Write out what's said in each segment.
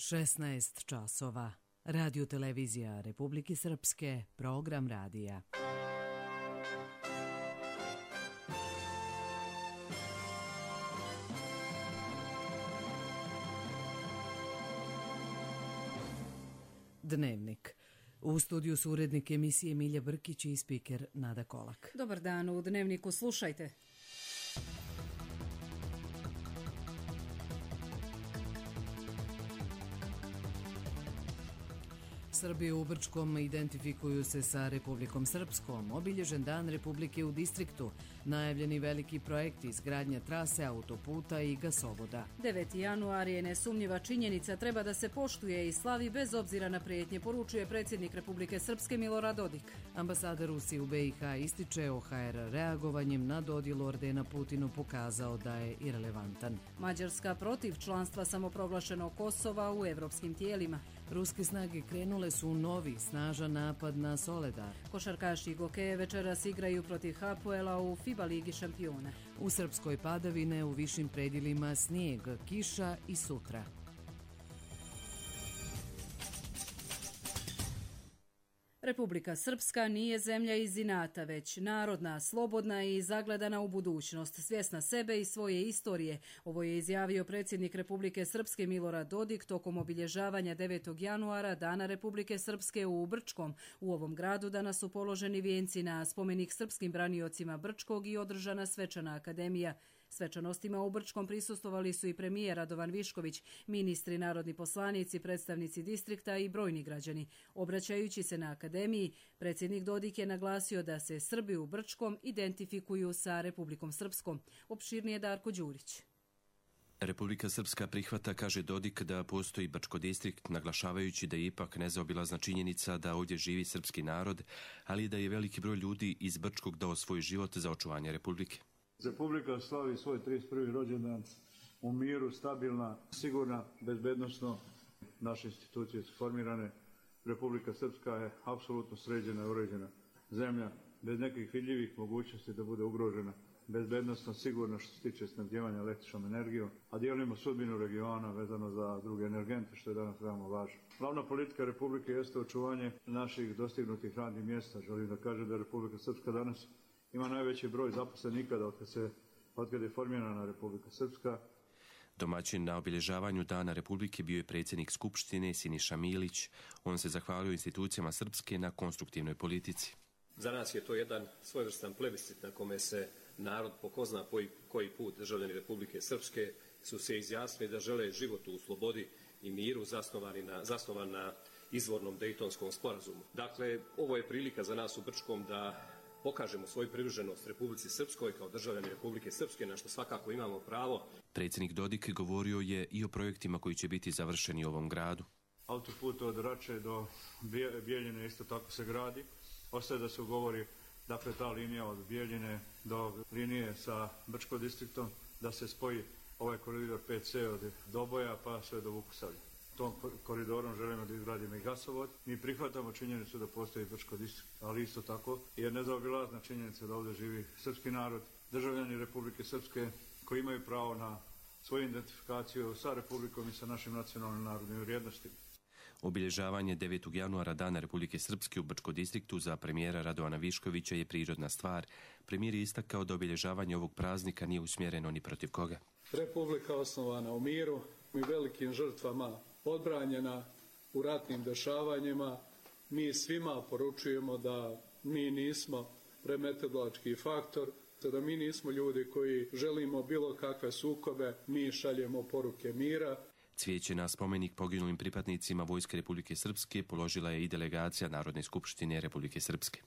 16 časova. Radio televizija Republike Srpske, program radija. Dnevnik. U studiju su urednik emisije Milja Brkić i spiker Nada Kolak. Dobar dan, u Dnevniku slušajte. Srbi u Brčkom identifikuju se sa Republikom Srpskom. Obilježen dan Republike u distriktu. Najavljeni veliki projekti izgradnja trase autoputa i gasovoda. 9. januar je nesumnjiva činjenica, treba da se poštuje i slavi bez obzira na prijetnje, poručuje predsjednik Republike Srpske Milorad Dodik. Ambasada Rusije u BiH ističe OHR reagovanjem na dodjelu ordena Putinu pokazao da je irelevantan. Mađarska protiv članstva samoproglašenog Kosova u evropskim tijelima. Ruske snage krenule su u novi, snažan napad na Soledar. Košarkaši Gokeje večeras igraju protiv Hapoela u FIBA ligi šampiona. U Srpskoj padavine, u višim predjelima snijeg, kiša i sutra. Republika Srpska nije zemlja iz inata, već narodna, slobodna i zagledana u budućnost, svjesna sebe i svoje istorije. Ovo je izjavio predsjednik Republike Srpske Milorad Dodik tokom obilježavanja 9. januara Dana Republike Srpske u Brčkom. U ovom gradu danas su položeni vijenci na spomenik srpskim braniocima Brčkog i održana svečana akademija. Svečanostima u Brčkom prisustvovali su i premijer Radovan Višković, ministri, narodni poslanici, predstavnici distrikta i brojni građani. Obraćajući se na akademiji, predsjednik Dodik je naglasio da se Srbi u Brčkom identifikuju sa Republikom Srpskom. Opširnije Darko Đurić. Republika Srpska prihvata, kaže Dodik, da postoji Brčko distrikt, naglašavajući da je ipak nezaobilazna činjenica da ovdje živi srpski narod, ali da je veliki broj ljudi iz Brčkog dao svoj život za očuvanje Republike. Republika slavi svoj 31. rođendan u miru, stabilna, sigurna, bezbednosno. Naše institucije su formirane. Republika Srpska je apsolutno sređena i uređena zemlja, bez nekih vidljivih mogućnosti da bude ugrožena. Bezbednosno, sigurno što se tiče snabdijevanja električnom energijom, a dijelimo sudbinu regiona vezano za druge energente, što je danas veoma važno. Glavna politika Republike jeste očuvanje naših dostignutih radnih mjesta. Želim da kažem da Republika Srpska danas ima najveći broj zaposlenika otkad je formirana Republika Srpska. Domaćin na obilježavanju Dana Republike bio je predsjednik Skupštine Siniša Milić. On se zahvalio institucijama Srpske na konstruktivnoj politici. Za nas je to jedan svojevrstan plebiscit na kome se narod po ko zna koji put državljani Republike Srpske su se izjasnili da žele život u slobodi i miru zasnovan na izvornom Dejtonskom sporazumu. Dakle, ovo je prilika za nas u Brčkom da pokažemo svoju privrženost Republici Srpskoj kao državljani Republike Srpske, na što svakako imamo pravo. Predsjednik Dodik govorio je i o projektima koji će biti završeni u ovom gradu. Autoput od Rače do Bijeljine isto tako se gradi. Ostaje da se ugovori, dakle, ta linija od Bijeljine do linije sa Brčko distriktom, da se spoji ovaj koridor 5C od Doboja pa sve do Vukusavlja. Tom koridorom želimo da izgradimo i gasovod. Mi prihvatamo činjenicu da postoji Brčko distrikt, ali isto tako je nezaobilazna činjenica da ovdje živi srpski narod, državljani Republike Srpske koji imaju pravo na svoju identifikaciju sa Republikom i sa našim nacionalnim narodnim vrijednostima. Obilježavanje 9. januara Dana Republike Srpske u Brčko distriktu za premijera Radovana Viškovića je prirodna stvar. Premijer je istakao da obilježavanje ovog praznika nije usmjereno ni protiv koga. Republika osnovana u miru i velikim žrtvama, odbranjena u ratnim dešavanjima. Mi svima poručujemo da mi nismo remetilački faktor, da mi nismo ljudi koji želimo bilo kakve sukobe, mi šaljemo poruke mira. Cvijeće na spomenik poginulim pripadnicima Vojske Republike Srpske položila je i delegacija Narodne skupštine Republike Srpske.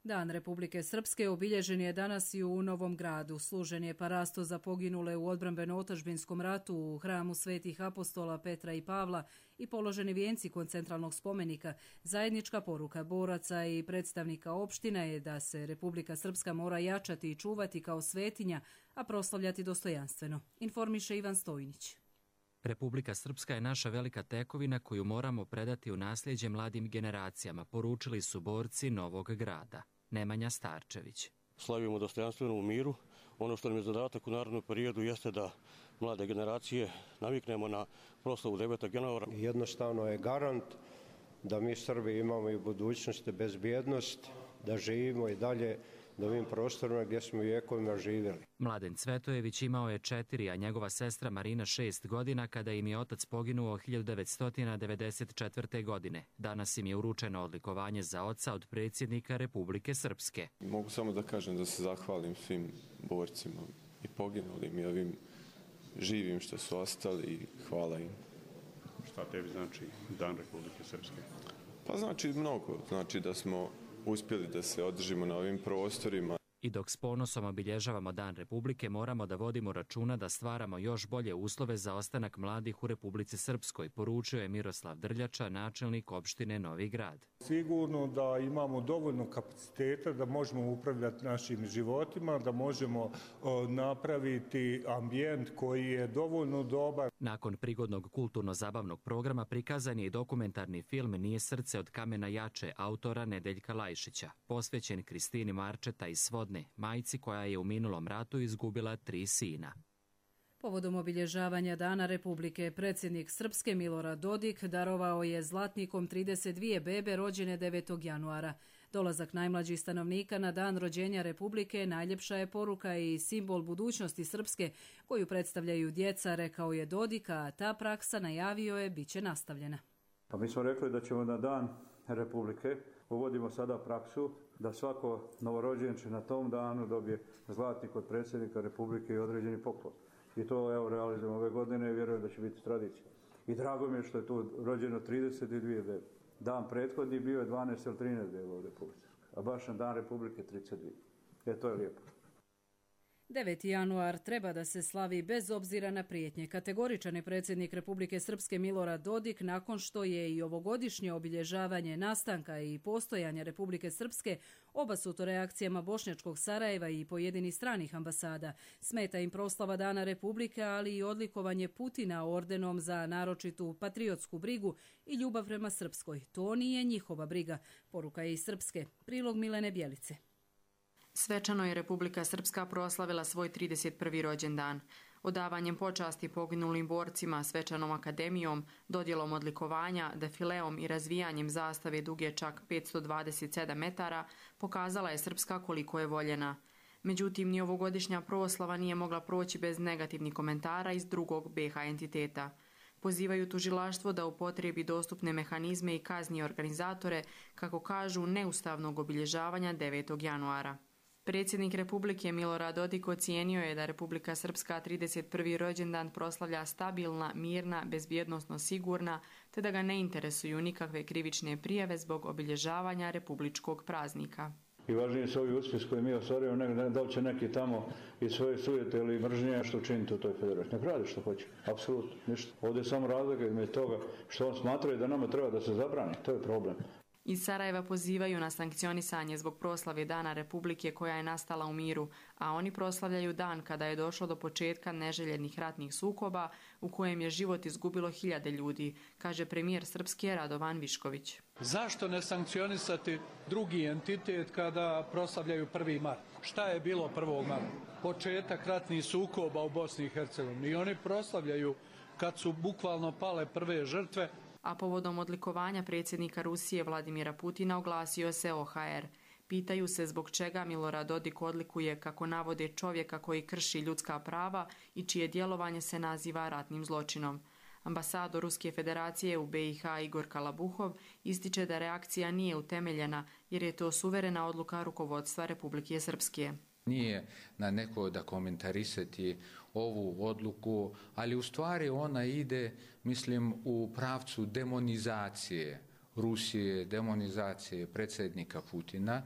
Dan Republike Srpske obilježen je danas i u Novom Gradu. Služen je parasto za poginule u odbrambeno-otadžbinskom ratu u hramu svetih apostola Petra i Pavla i položeni vijenci kod centralnog spomenika. Zajednička poruka boraca i predstavnika opština je da se Republika Srpska mora jačati i čuvati kao svetinja, a proslavljati dostojanstveno. Informiše Ivan Stojnić. Republika Srpska je naša velika tekovina koju moramo predati u nasljeđe mladim generacijama, poručili su borci Novog Grada. Nemanja Starčević. Slavimo dostojanstveno u miru. Ono što nam je zadatak u narednom periodu jeste da mlade generacije naviknemo na proslavu 9. januara. Jednostavno je garant da mi Srbi imamo i u budućnosti bezbjednost, da živimo i dalje na ovim prostorima gdje smo vjekovima živjeli. Mladen Cvetojević imao je 4, a njegova sestra Marina 6 godina kada im je otac poginuo 1994. godine. Danas im je uručeno odlikovanje za oca od predsjednika Republike Srpske. Mogu samo da kažem da se zahvalim svim borcima i poginulim i ovim živim što su ostali i hvala im. Šta tebi znači Dan Republike Srpske? Pa znači mnogo. Znači da smo uspjeli da se održimo na ovim prostorima. I dok s ponosom obilježavamo Dan Republike, moramo da vodimo računa da stvaramo još bolje uslove za ostanak mladih u Republici Srpskoj, poručio je Miroslav Drljača, načelnik opštine Novi Grad. Sigurno da imamo dovoljno kapaciteta da možemo upravljati našim životima, da možemo napraviti ambijent koji je dovoljno dobar. Nakon prigodnog kulturno-zabavnog programa prikazan je i dokumentarni film Nije srce od kamena jače autora Nedeljka Lajšića, posvećen Kristini Marčeta iz Svodne, majci koja je u minulom ratu izgubila 3 sina. Povodom obilježavanja Dana Republike, predsjednik Srpske Milorad Dodik darovao je zlatnikom 32 bebe rođene 9. januara. Dolazak najmlađih stanovnika na dan rođenja Republike najljepša je poruka i simbol budućnosti Srpske koju predstavljaju djeca, rekao je Dodik, a ta praksa, najavio je, bit će nastavljena. Pa mi smo rekli da ćemo na Dan Republike, uvodimo sada praksu da svako novorođenče na tom danu dobije zlatnik od predsjednika Republike i određeni poklon. I to evo realizujemo ove godine i vjerujem da će biti tradicija. I drago mi je što je tu rođeno 32 bebe. Dan prethodni bio je 12 ili 13 beba u Republici, a baš na Dan Republike 32. To je lijepo. 9. januar treba da se slavi bez obzira na prijetnje. Kategoričan je predsjednik Republike Srpske Milorad Dodik nakon što je i ovogodišnje obilježavanje nastanka i postojanja Republike Srpske obasuto reakcijama bošnjačkog Sarajeva i pojedinih stranih ambasada. Smeta im proslava Dana Republike, ali i odlikovanje Putina ordenom za naročitu patriotsku brigu i ljubav prema Srpskoj. To nije njihova briga, poruka je iz Srpske. Prilog Milene Bjelice. Svečano je Republika Srpska proslavila svoj 31. rođendan. Odavanjem počasti poginulim borcima, svečanom akademijom, dodjelom odlikovanja, defileom i razvijanjem zastave duge čak 527 metara, pokazala je Srpska koliko je voljena. Međutim, ni ovogodišnja proslava nije mogla proći bez negativnih komentara iz drugog BiH entiteta. Pozivaju tužilaštvo da upotrebi dostupne mehanizme i kazni organizatore, kako kažu, neustavnog obilježavanja 9. januara. Predsjednik Republike Milorad Dodik ocijenio je da Republika Srpska 31. rođendan proslavlja stabilna, mirna, bezbjednosno sigurna, te da ga ne interesuju nikakve krivične prijave zbog obilježavanja republičkog praznika. I važnije su ovi uspjesi koje mi ostvarujemo, da li će neki tamo iz svoje sujete ili mržnje što učiniti u toj federaciji. Ne radi što hoće, apsolutno ništa. Ovdje je samo razlika između toga što on smatraju da nama treba da se zabrani, to je problem. Iz Sarajeva pozivaju na sankcionisanje zbog proslave Dana Republike koja je nastala u miru, a oni proslavljaju dan kada je došlo do početka neželjenih ratnih sukoba u kojem je život izgubilo 1000 ljudi, kaže premijer Srpske Radovan Višković. Zašto ne sankcionisati drugi entitet kada proslavljaju 1. mart? Šta je bilo 1. marta? Početak ratnih sukoba u Bosni i Hercegovini. I oni proslavljaju kad su bukvalno pale prve žrtve. A povodom odlikovanja predsjednika Rusije Vladimira Putina oglasio se OHR. Pitaju se zbog čega Milorad Dodik odlikuje, kako navode, čovjeka koji krši ljudska prava i čije djelovanje se naziva ratnim zločinom. Ambasador Ruske federacije u BiH Igor Kalabuhov ističe da reakcija nije utemeljena jer je to suverena odluka rukovodstva Republike Srpske. Nije na neko da komentarisati ovu odluku, ali u stvari ona ide, mislim, u pravcu demonizacije Rusije, demonizacije predsjednika Putina.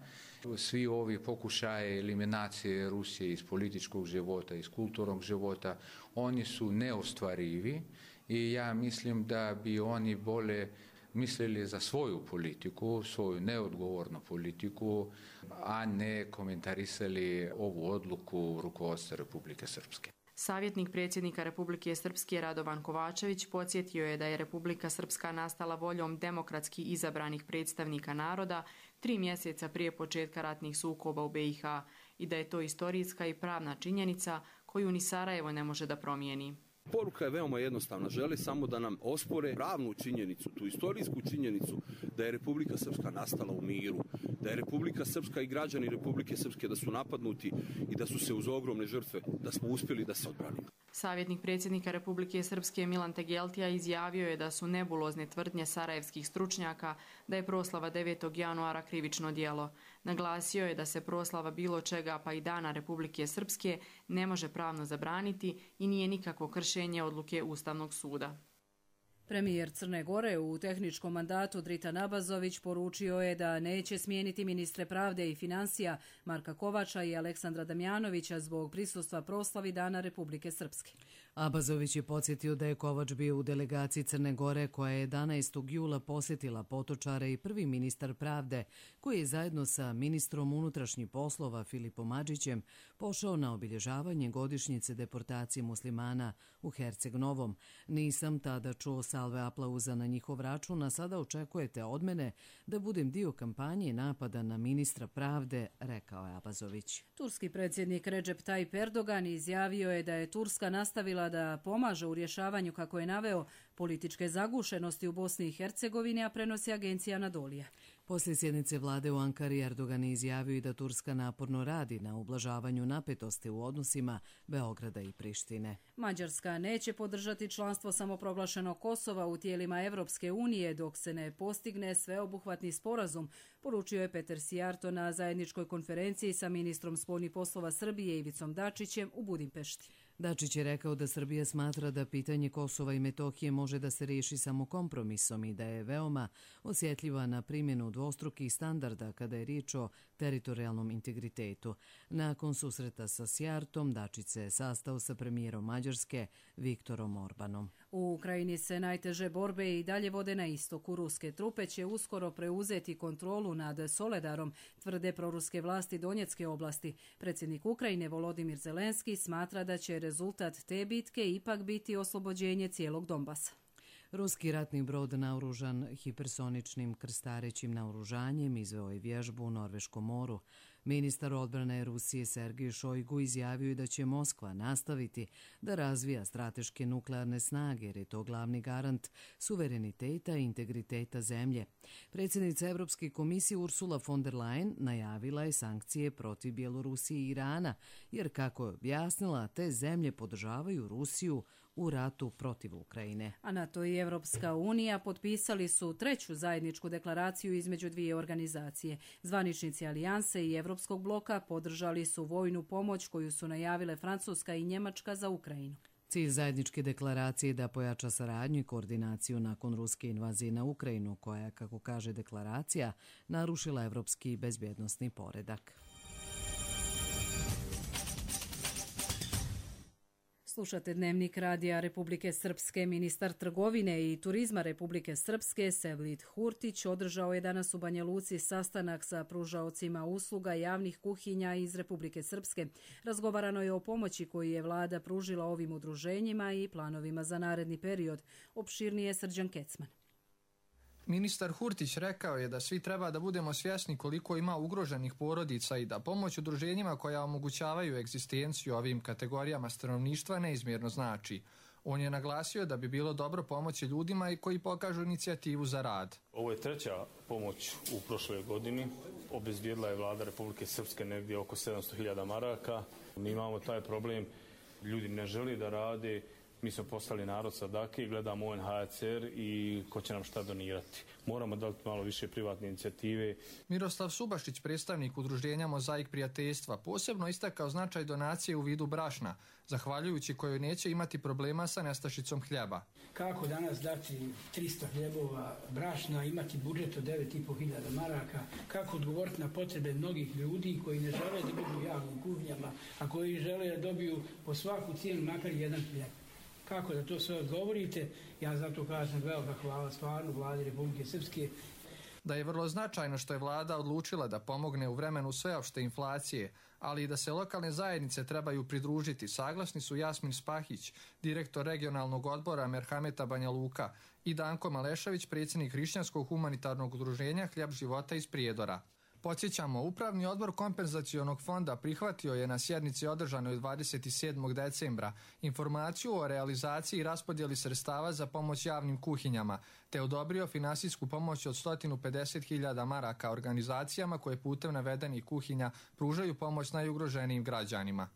Svi ovi pokušaje eliminacije Rusije iz političkog života, iz kulturnog života, oni su neostvarivi i ja mislim da bi oni bolje mislili za svoju politiku, svoju neodgovornu politiku, a ne komentarisali ovu odluku rukovodstva Republike Srpske. Savjetnik predsjednika Republike Srpske Radovan Kovačević podsjetio je da je Republika Srpska nastala voljom demokratski izabranih predstavnika naroda 3 mjeseca prije početka ratnih sukoba u BiH i da je to istorijska i pravna činjenica koju ni Sarajevo ne može da promijeni. Poruka je veoma jednostavna. Žele samo da nam ospore pravnu činjenicu, tu istorijsku činjenicu da je Republika Srpska nastala u miru, da je Republika Srpska i građani Republike Srpske da su napadnuti i da su se uz ogromne žrtve, da smo uspjeli da se odbranimo. Savjetnik predsjednika Republike Srpske Milan Tegeltija izjavio je da su nebulozne tvrdnje sarajevskih stručnjaka da je proslava 9. januara krivično djelo. Naglasio je da se proslava bilo čega pa i Dana Republike Srpske ne može pravno zabraniti i nije nikakvo kršenje odluke Ustavnog suda. Premijer Crne Gore u tehničkom mandatu Dritan Abazović poručio je da neće smijeniti ministre pravde i financija Marka Kovača i Aleksandra Damjanovića zbog prisustva proslavi Dana Republike Srpske. Abazović je podsjetio da je Kovač bio u delegaciji Crne Gore koja je 11. jula posjetila Potočare i prvi ministar pravde koji je zajedno sa ministrom unutrašnjih poslova Filipom Adžićem pošao na obilježavanje godišnjice deportacije muslimana u Herceg Novom. Nisam tada čuo salve aplauza na njihov račun, a sada očekujete od mene da budem dio kampanje napada na ministra pravde, rekao je Abazović. Turski predsjednik Recep Tayyip Erdogan izjavio je da je Turska nastavila da pomaže u rješavanju, kako je naveo, političke zagušenosti u Bosni i Hercegovini, a prenosi agencija Anadolija. Poslije sjednice vlade u Ankari Erdogan je izjavio i da Turska naporno radi na ublažavanju napetosti u odnosima Beograda i Prištine. Mađarska neće podržati članstvo samoproglašenog Kosova u tijelima Evropske unije dok se ne postigne sveobuhvatni sporazum, poručio je Peter Sijarto na zajedničkoj konferenciji sa ministrom spoljnih poslova Srbije Ivicom Dačićem u Budimpešti. Dačić je rekao da Srbija smatra da pitanje Kosova i Metohije može da se riješi samo kompromisom i da je veoma osjetljiva na primjenu dvostrukih standarda kada je riječ o teritorijalnom integritetu. Nakon susreta sa Sijartom, Dačić se sastao sa premijerom Mađarske Viktorom Orbanom. U Ukrajini se najteže borbe i dalje vode na istoku. Ruske trupe će uskoro preuzeti kontrolu nad Soledarom, tvrde proruske vlasti Donjecke oblasti. Predsjednik Ukrajine Volodimir Zelenski smatra da će rezultat te bitke ipak biti oslobođenje cijelog Donbasa. Ruski ratni brod naoružan hipersoničnim krstarećim naoružanjem izveo je vježbu u Norveškom moru. Ministar odbrane Rusije Sergej Šojgu izjavio je da će Moskva nastaviti da razvija strateške nuklearne snage jer je to glavni garant suvereniteta i integriteta zemlje. Predsjednica Europske komisije Ursula von der Leyen najavila je sankcije protiv Bjelorusije i Irana jer, kako je objasnila, te zemlje podržavaju Rusiju u ratu protiv Ukrajine. A NATO i Evropska unija potpisali su treću zajedničku deklaraciju između dvije organizacije. Zvaničnici Alijanse i Evropskog bloka podržali su vojnu pomoć koju su najavile Francuska i Njemačka za Ukrajinu. Cilj zajedničke deklaracije je da pojača saradnju i koordinaciju nakon ruske invazije na Ukrajinu, koja, kako kaže deklaracija, narušila evropski bezbjednosni poredak. Slušate Dnevnik Radija Republike Srpske. Ministar trgovine i turizma Republike Srpske Sevlid Hurtić održao je danas u Banja Luci sastanak sa pružaocima usluga javnih kuhinja iz Republike Srpske. Razgovarano je o pomoći koju je vlada pružila ovim udruženjima i planovima za naredni period. Opširnije Srđan Kecman. Ministar Hurtić rekao je da svi treba da budemo svjesni koliko ima ugroženih porodica i da pomoć udruženjima koja omogućavaju egzistenciju ovim kategorijama stanovništva neizmjerno znači. On je naglasio da bi bilo dobro pomoći ljudima i koji pokažu inicijativu za rad. Ovo je treća pomoć u prošloj godini. Obezbijedila je vlada Republike Srpske negdje oko 700.000 maraka. Mi imamo taj problem, ljudi ne žele da rade. Mi smo poslali narod sadake i gledamo UNHCR i ko će nam šta donirati. Moramo dati malo više privatne inicijative. Miroslav Subašić, predstavnik udruženja Mozaik prijateljstva, posebno istakao značaj donacije u vidu brašna, zahvaljujući kojoj neće imati problema sa nestašicom hljeba. Kako danas dati 300 hljebova brašna, imati budžet od 9.500 maraka, kako odgovoriti na potrebe mnogih ljudi koji ne žele da budu u javnim kuhinjama, a koji žele da dobiju po svaku cijenu makar jedan hljeb. Kako da to sve odgovorite, ja zato kažem velika hvala stvarno vladi Republike Srpske. Da je vrlo značajno što je vlada odlučila da pomogne u vremenu sveopšte inflacije, ali i da se lokalne zajednice trebaju pridružiti, saglasni su Jasmin Spahić, direktor regionalnog odbora Merhameta Banja Luka, i Danko Malešević, predsjednik Hrišćanskog humanitarnog udruženja Hljeb života iz Prijedora. Podsjećamo, Upravni odbor kompenzacionog fonda prihvatio je na sjednici održanoj 27. decembra informaciju o realizaciji i raspodjeli sredstava za pomoć javnim kuhinjama, te odobrio finansijsku pomoć od 150.000 maraka organizacijama koje putem navedenih kuhinja pružaju pomoć najugroženijim građanima.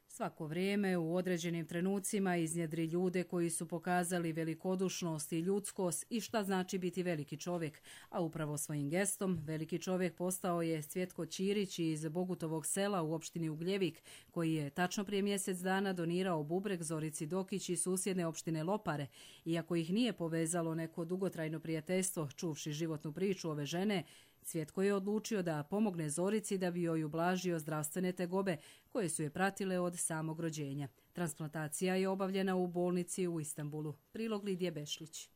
Svako vrijeme u određenim trenucima iznjedri ljude koji su pokazali velikodušnost i ljudskost i šta znači biti veliki čovjek, a upravo svojim gestom veliki čovjek postao je Cvjetko Ćirić iz Bogutovog sela u opštini Ugljevik, koji je tačno prije mjesec dana donirao bubreg Zorici Dokić iz susjedne opštine Lopare. Iako ih nije povezalo neko dugotrajno prijateljstvo, čuvši životnu priču ove žene, Cvjetko je odlučio da pomogne Zorici da bi joj ublažio zdravstvene tegobe koje su je pratile od samog rođenja. Transplantacija je obavljena u bolnici u Istanbulu. Prilog Lidije Bešlić.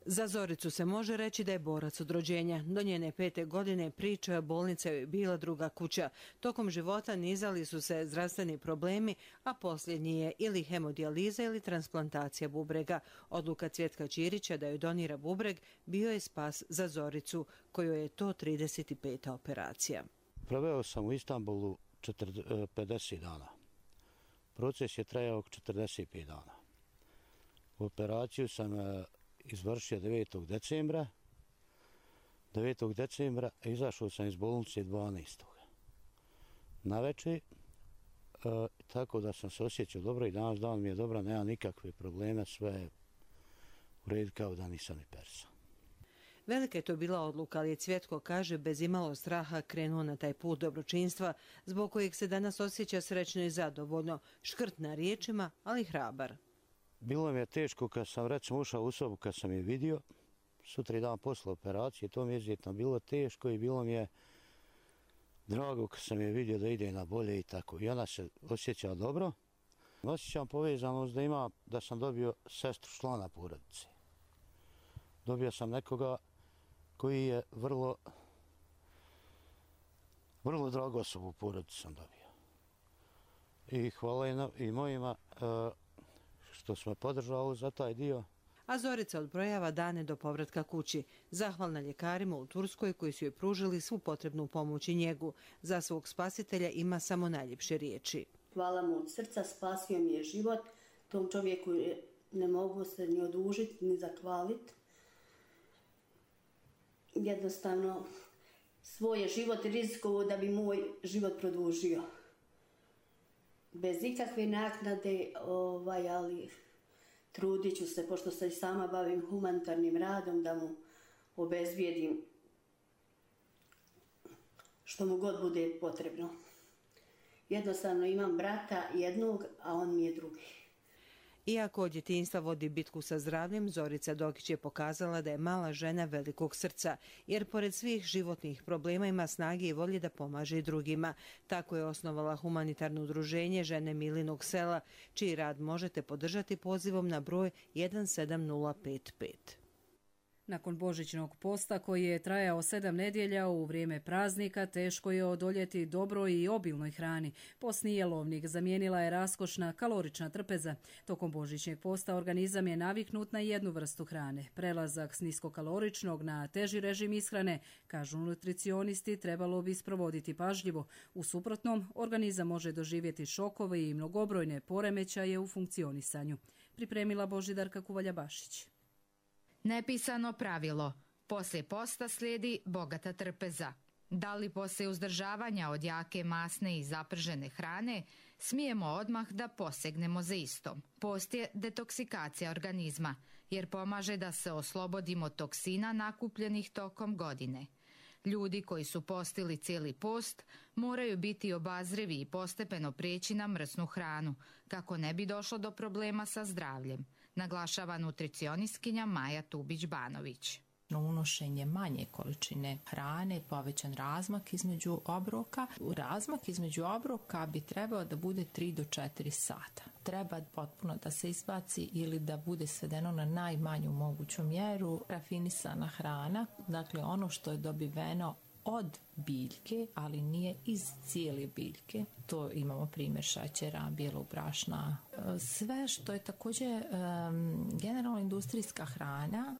Za Zoricu se može reći da je borac od rođenja. Do njene 5. godine priča bolnica je bila druga kuća. Tokom života nizali su se zdravstveni problemi, a posljednji je ili hemodijaliza ili transplantacija bubrega. Odluka Cvjetka Ćirića da joj donira bubreg bio je spas za Zoricu, kojoj je to 35. operacija. Proveo sam u Istanbulu 50 dana. Proces je trajao 45 dana. Operaciju sam izvršio 9. decembra. 9. decembra izašao sam iz bolnice 12. Navečer, tako da sam se osjećao dobro i danas dan mi je dobro, nema nikakve probleme, sve je u redu kao da nisam ni persa. Velika je to bila odluka, ali je Cvjetko, kaže, bez imalo straha krenuo na taj put dobročinstva, zbog kojeg se danas osjeća srećno i zadovoljno, škrt na riječima, ali hrabar. Bilo mi je teško kad sam recimo ušao u sobu, kad sam je vidio, sutra dan posle operacije, to mi je izuzetno bilo teško i bilo mi je drago kad sam je vidio da ide na bolje i tako. I ona se osjećala dobro. Osjećam povezanost da sam dobio sestru člana porodice. Dobio sam nekoga koji je vrlo drago osobu u porodici sam dobio. I hvala i mojima što smo podržali za taj dio. A Zorica odbrojava dane do povratka kući. Zahvalna ljekarima u Turskoj koji su joj pružili svu potrebnu pomoć i njegu. Za svog spasitelja ima samo najljepše riječi. Hvala mu od srca, spasio mi je život. Tom čovjeku ne mogu se ni odužiti, ni zahvaliti. Jednostavno, svoj je život rizikovao da bi moj život produžio. Bez ikakve naknade, ali trudit ću se, pošto se i sama bavim humanitarnim radom, da mu obezbijedim što mu god bude potrebno. Jednostavno imam brata jednog, a on mi je drugi. Iako od djetinjstva vodi bitku sa zdravljem, Zorica Dokić je pokazala da je mala žena velikog srca, jer pored svih životnih problema ima snage i volje da pomaže i drugima. Tako je osnovala humanitarno udruženje Žene Milinog sela, čiji rad možete podržati pozivom na broj 17055. Nakon božićnog posta koji je trajao 7 nedjelja u vrijeme praznika, teško je odoljeti dobroj i obilnoj hrani. Postni jelovnik zamijenila je raskošna kalorična trpeza. Tokom božićnog posta organizam je naviknut na jednu vrstu hrane. Prelazak s niskokaloričnog na teži režim ishrane, kažu nutricionisti, trebalo bi sprovoditi pažljivo. U suprotnom, organizam može doživjeti šokove i mnogobrojne poremećaje u funkcionisanju. Pripremila Božidarka Kuvalja-Bašić. Nepisano pravilo. Poslije posta slijedi bogata trpeza. Da li poslije uzdržavanja od jake masne i zapržene hrane smijemo odmah da posegnemo za istom? Post je detoksikacija organizma, jer pomaže da se oslobodimo toksina nakupljenih tokom godine. Ljudi koji su postili cijeli post moraju biti obazrivi i postepeno prijeći na mrsnu hranu, kako ne bi došlo do problema sa zdravljem, naglašava nutricionistkinja Maja Tubić-Banović. Unošenje manje količine hrane, povećan razmak između obroka. Razmak između obroka bi trebao da bude 3 do 4 sata. Treba potpuno da se izbaci ili da bude svedeno na najmanju moguću mjeru rafinisana hrana, dakle ono što je dobiveno od biljke, ali nije iz cijele biljke. To imamo primjer šećera, bijelog brašna. Sve što je također generalno industrijska hrana.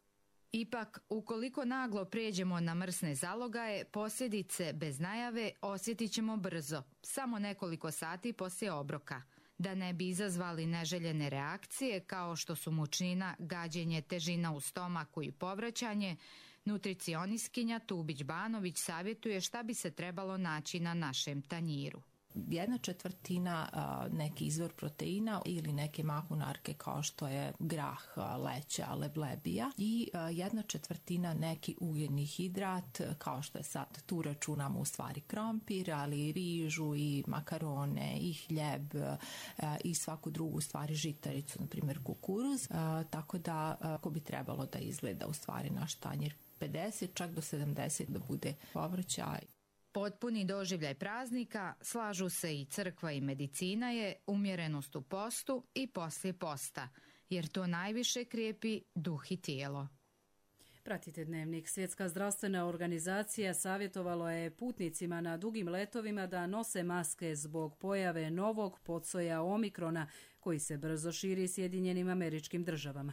Ipak, ukoliko naglo prijeđemo na mrsne zalogaje, posljedice bez najave osjetit ćemo brzo, samo nekoliko sati poslije obroka. Da ne bi izazvali neželjene reakcije kao što su mučnina, gađenje, težina u stomaku i povraćanje, nutricionistkinja Tubić-Banović savjetuje šta bi se trebalo naći na našem tanjiru. 1/4 neki izvor proteina ili neke mahunarke kao što je grah, leća, leblebija i 1/4 neki ugljen hidrat kao što je sad, tu računamo u stvari krompir, ali i rižu i makarone i hljeb i svaku drugu stvari žitaricu, na primjer kukuruz, tako da ako bi trebalo da izgleda u stvari naš tanjir 50 čak do 70 da bude povrća. Potpuni doživljaj praznika, slažu se i crkva i medicina je umjerenost u postu i poslije posta, jer to najviše krijepi duh i tijelo. Pratite Dnevnik. Svjetska zdravstvena organizacija savjetovala je putnicima na dugim letovima da nose maske zbog pojave novog podsoja omikrona koji se brzo širi Sjedinjenim Američkim Državama.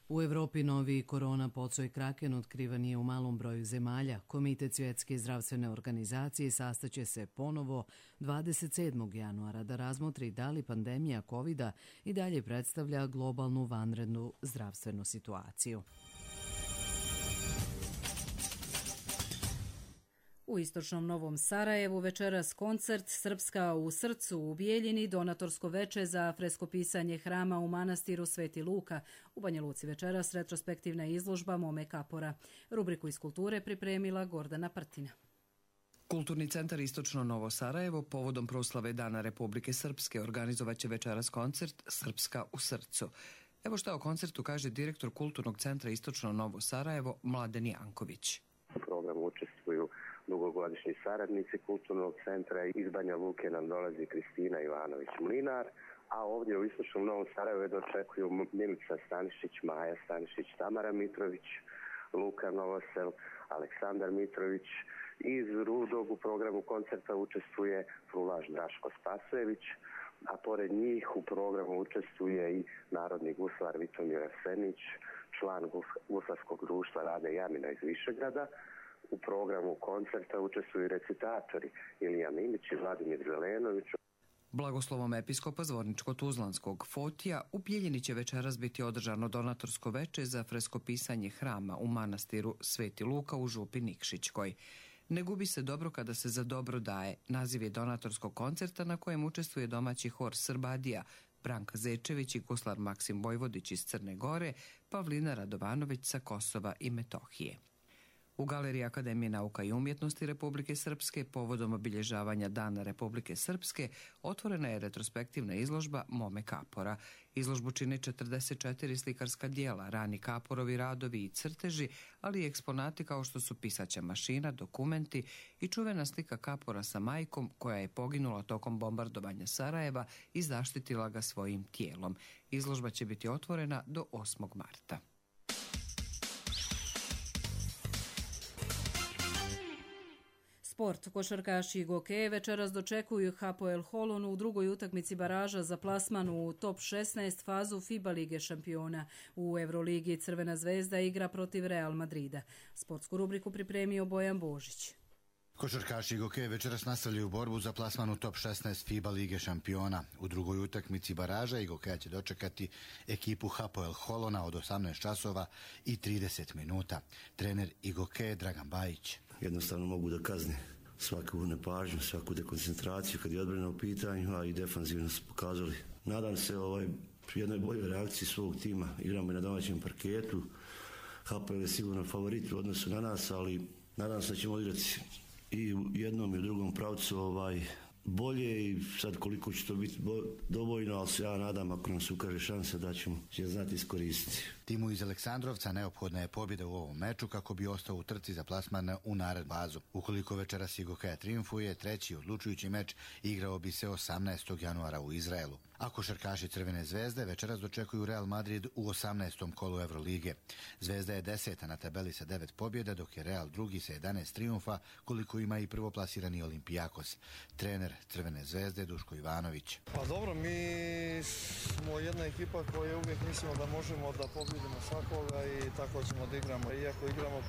U Evropi novi korona podsoj kraken otkrivan je u malom broju zemalja. Komitet Svjetske zdravstvene organizacije sastaće se ponovo 27. januara da razmotri da li pandemija COVID-a i dalje predstavlja globalnu vanrednu zdravstvenu situaciju. U istočnom Novom Sarajevu večeras koncert Srpska u srcu u Bijeljini, donatorsko veče za freskopisanje hrama u manastiru Sveti Luka. U Banja Luci večeras retrospektivna izložba Mome Kapora. Rubriku iz kulture pripremila Gordana Prtina. Kulturni centar Istočno Novo Sarajevo povodom proslave Dana Republike Srpske organizovaće večeras koncert Srpska u srcu. Evo šta o koncertu kaže direktor Kulturnog centra Istočno Novo Sarajevo Mladen Janković. U programu učestvuju dugogodišnji saradnici Kulturnog centra. Iz Banja Luke nam dolazi Kristina Ivanović-Mlinar, a ovdje u Istočnom Novom Sarajevu dočekuju Milica Stanišić, Maja Stanišić, Tamara Mitrović, Luka Novosel, Aleksandar Mitrović. Iz Rudog u programu koncerta učestvuje frulaž Draško Spasojević, a pored njih u programu učestvuje i narodni guslar Vitomir Arsenić, član guslarskog društva Rade Jamina iz Višegrada. U programu koncerta učestvuju recitatori Ilija Milić i Vladimir Zelenović. Blagoslovom episkopa Zvorničko-Tuzlanskog Fotija u Bijeljini će večeras biti održano donatorsko veče za freskopisanje hrama u manastiru Sveti Luka u župi Nikšićkoj. Ne gubi se dobro kada se za dobro daje. Naziv je donatorskog koncerta na kojem učestvuje domaći hor Srbadija, Branka Zečević i guslar Maksim Vojvodić iz Crne Gore, Pavlina Radovanović sa Kosova i Metohije. U Galeriji Akademije nauka i umjetnosti Republike Srpske povodom obilježavanja Dana Republike Srpske otvorena je retrospektivna izložba Mome Kapora. Izložbu čine 44 slikarska dijela, rani Kaporovi radovi i crteži, ali i eksponati kao što su pisaća mašina, dokumenti i čuvena slika Kapora sa majkom koja je poginula tokom bombardovanja Sarajeva i zaštitila ga svojim tijelom. Izložba će biti otvorena do 8. marta. Sport. Košarkaši i gokeje večeras dočekuju Hapoel Holon u drugoj utakmici baraža za plasman u top 16 fazu FIBA Lige šampiona. U Euroligi Crvena zvezda igra protiv Real Madrida. Sportsku rubriku pripremio Bojan Božić. Košarkaši i gokeje večeras nastavljaju borbu za plasman u top 16 FIBA Lige šampiona. U drugoj utakmici baraža i gokeja će dočekati ekipu Hapoel Holona od 18 časova i 30 minuta. Trener i gokeje Dragan Bajić. Jednostavno mogu da kazne svaku nepažnju, svaku dekoncentraciju kad je odbrana u pitanju, a i defanzivno su pokazali. Nadam se jednoj boljoj reakciji svog tima. Igramo i na domaćem parketu. Hapoel je sigurno favorit u odnosu na nas, ali nadam se da ćemo igrati i u jednom i u drugom pravcu bolje i sad koliko će to biti dovoljno, ali se ja nadam ako nam se ukaže šansa da ćemo znati iskoristiti. Timu iz Aleksandrovca neophodna je pobjeda u ovom meču kako bi ostao u trci za plasman u narednu fazu. Ukoliko večeras i gokeja triumfuje, treći odlučujući meč igrao bi se 18. januara u Izraelu. A košarkaši Crvene zvezde večeras dočekuju Real Madrid u 18. kolu Evrolige. Zvezda je 10. na tabeli sa 9 pobjeda, dok je Real drugi sa 11 trijumfa, koliko ima i prvoplasirani Olimpijakos. Trener Crvene zvezde Duško Ivanović. Pa dobro, mi smo jedna ekipa koja uvijek mislimo da možemo da pobjedimo svakoga i tako ćemo da igramo. Iako igramo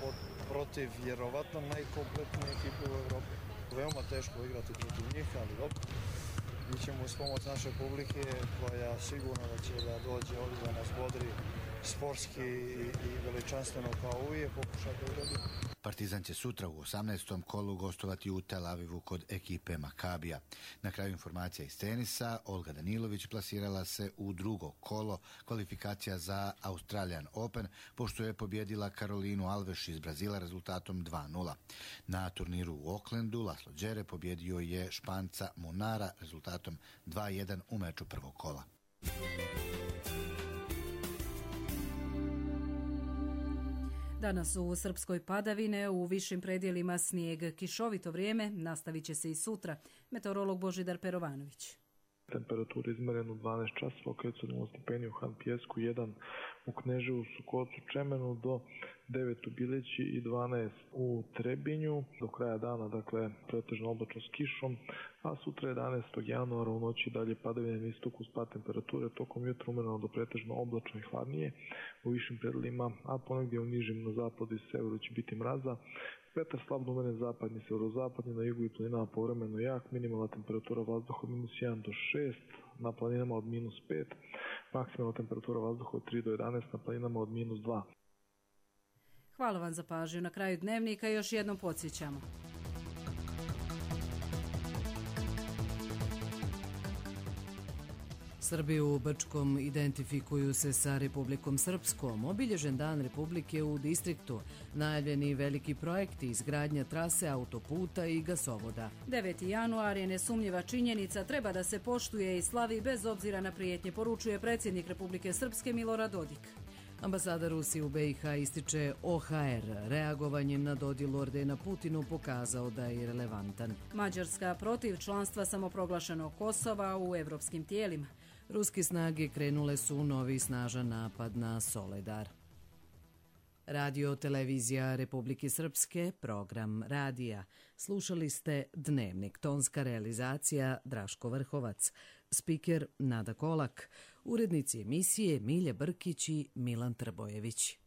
protiv vjerovatno najkompletnije ekipe u Evropi. Veoma teško igrati protiv njih, ali dobro. Mi ćemo uz pomoć naše publike koja sigurno da će da dođe ovdje da nas bodri sportski i veličanstveno kao uvijek pokušati uraditi. Partizan će sutra u 18. kolu gostovati u Tel Avivu kod ekipe Makabija. Na kraju informacija iz tenisa, Olga Danilović plasirala se u drugo kolo kvalifikacija za Australian Open, pošto je pobjedila Karolinu Alves iz Brazila rezultatom 2:0. Na turniru u Aucklandu Laslo Đere pobjedio je Španca Munara rezultatom 2:1 u meču prvog kola. Danas u Srpskoj padavine, u višim predjelima snijeg, kišovito vrijeme, nastavit će se i sutra. Meteorolog Božidar Perovanović. Temperatura izmjerena u 12 časova, kad su 0 stepeni u Han Pijesku, 1 u Kneževu, Sukocu, Čemenu, do 9 u Bileći i 12 u Trebinju. Do kraja dana, dakle, pretežno oblačno s kišom, a sutra 11. januara u noći dalje padavine na istoku s pad temperature, tokom jutra umereno do pretežno oblačno i hladnije u višim predjelima, a ponegdje u nižim na zapadu i severu će biti mraza. Vetar slabno umeren zapadni, severozapadni, na jugu i planinama povremeno jak, minimalna temperatura vazduha od -1 do 6, na planinama od -5, maksimalna temperatura vazduha od 3 do 11, na planinama od -2. Hvala vam za pažnju. Na kraju dnevnika još jednom podsjećamo. Srbi u Brčkom identifikuju se sa Republikom Srpskom. Obilježen dan Republike u distriktu. Najavljeni veliki projekti, izgradnja trase autoputa i gasovoda. 9. januar je nesumnjiva činjenica, treba da se poštuje i slavi bez obzira na prijetnje, poručuje predsjednik Republike Srpske Milorad Dodik. Ambasada Rusije u BiH ističe OHR. Reagovanjem na dodjelu ordena Putinu pokazao da je relevantan. Mađarska protiv članstva samoproglašenog Kosova u evropskim tijelima. Ruske snage krenule su u novi snažan napad na Soledar. Radio televizija Republike Srpske, program radija. Slušali ste Dnevnik, tonska realizacija Draško Vrhovac, spiker Nada Kolak, urednici emisije Milja Brkić i Milan Trbojević.